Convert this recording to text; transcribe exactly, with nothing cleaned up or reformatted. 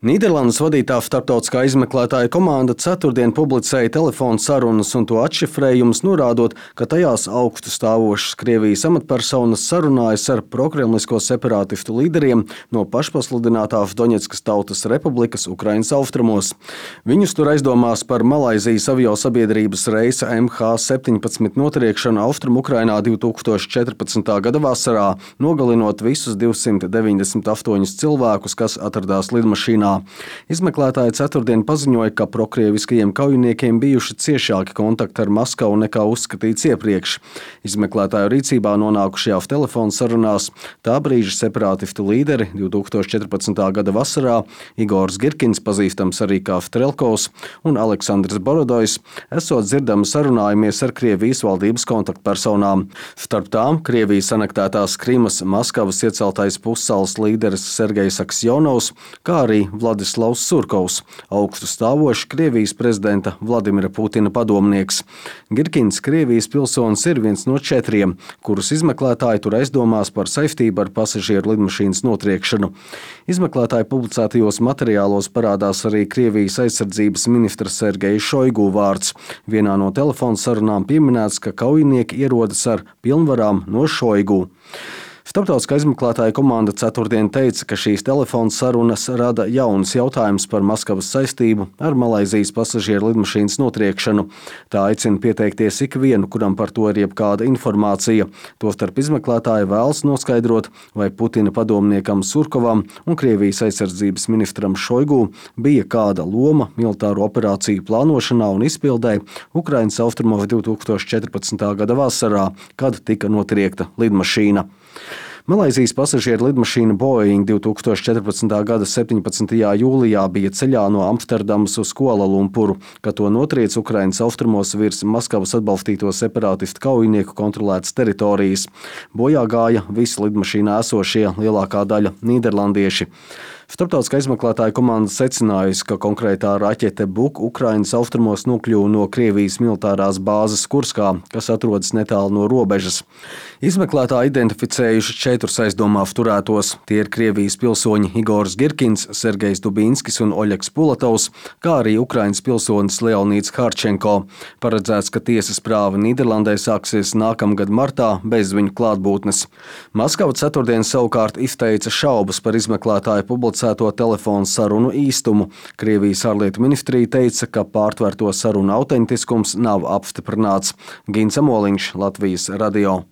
Nīderlandes vadītā starptautiskā izmeklētāja komanda ceturtdien publicēja telefonu sarunas un to atšifrējumus, norādot, ka tajās augstu stāvošas Krievijas amatpersonas sarunājas ar prokremlisko separātistu līderiem no pašpasludinātās Doņetskas Tautas Republikas Ukrainas austrumos. Viņus tur aizdomās par Malaizijas aviosabiedrības reisa M H septiņpadsmit notriekšanu Austrumu-Ukrainā divi tūkstoši četrpadsmitā gada vasarā, nogalinot visus divsimt deviņdesmit astoņus cilvēkus, kas atradās lidmašīnā. Izmeklētāji ceturtdien paziņoja, ka prokrieviskajiem kaujiniekiem bijuši ciešāki kontakti ar Maskavu nekā uzskatīts iepriekš. Izmeklētāju rīcībā nonākušajās telefonu sarunās tā brīža separātistu līderi divi tūkstoši četrpadsmitā gada vasarā Igors Girkins, pazīstams arī kā Strelkovs, un Aleksandrs Borodojs esot dzirdami sarunājamies ar Krievijas valdības kontaktpersonām. Starp tām Krievijas anektētās Krimas Maskavas ieceltais pussalas līderis Sergejs Aksjonovs, kā arī Vladislavs Surkovs, augstu stāvošs Krievijas prezidenta Vladimira Putina padomnieks. Girkins, Krievijas pilsonis, ir viens no četriem, kurus izmeklētāji tur aizdomās par saistību ar pasažieru lidmašīnas notriekšanu. Izmeklētāju publicētajos materiālos parādās arī Krievijas aizsardzības ministra Sergeja Šoigu vārds. Vienā no telefonu sarunām pieminēts, ka kaujinieki ierodas ar pilnvarām no Šoigu. Starptautiskā izmeklētāja komanda ceturtdien teica, ka šīs telefonu sarunas rada jaunus jautājumus par Maskavas saistību ar Malaizijas pasažieru lidmašīnas notriekšanu. Tā aicina pieteikties ikvienu, kuram par to ir jebkāda informācija. Tostarp izmeklētāji vēlas noskaidrot, vai Putina padomniekam Surkovam un Krievijas aizsardzības ministram Šoigu bija kāda loma militāro operāciju plānošanā un izpildē Ukrainas austrumos divi tūkstoši četrpadsmitā gada vasarā, kad tika notriekta lidmašīna. Malaizijas pasažieru lidmašīna Boeing divi tūkstoši četrpadsmitā gada septiņpadsmitajā jūlijā bija ceļā no Amsterdamas uz Kualalumpuru, kad to notriec Ukrainas austrumos virs Maskavas atbalstīto separātistu kaujinieku kontrolētas teritorijas. Bojā gāja visi lidmašīnā esošie, lielākā daļa nīderlandieši. Starptautiskā izmeklētāja komanda secinājusi, ka konkrētā raķete Buk Ukrainas austrumos nokļuva no Krievijas militārās bāzes Kurskā, kas atrodas netālu no robežas. Izmeklētāji identificējuši četrus aizdomās turētos. Tie ir Krievijas pilsoņi Igors Girkins, Sergejs Dubinskis un Oļegs Pulatovs, kā arī Ukrainas pilsonis Leonīds Harčenko. Paredzēts, ka tiesas prāva Nīderlandē sāksies nākamgad martā bez viņu klātbūtnes. Maskava ceturtdien savukārt izteica šaubas par izmeklētāju publicēto telefonu sarunu īstumu. Krievijas ārlietu ministrija teica, ka pārtvērto sarunu autentiskums nav apstiprināts. Gins Amoliņš, Latvijas radio.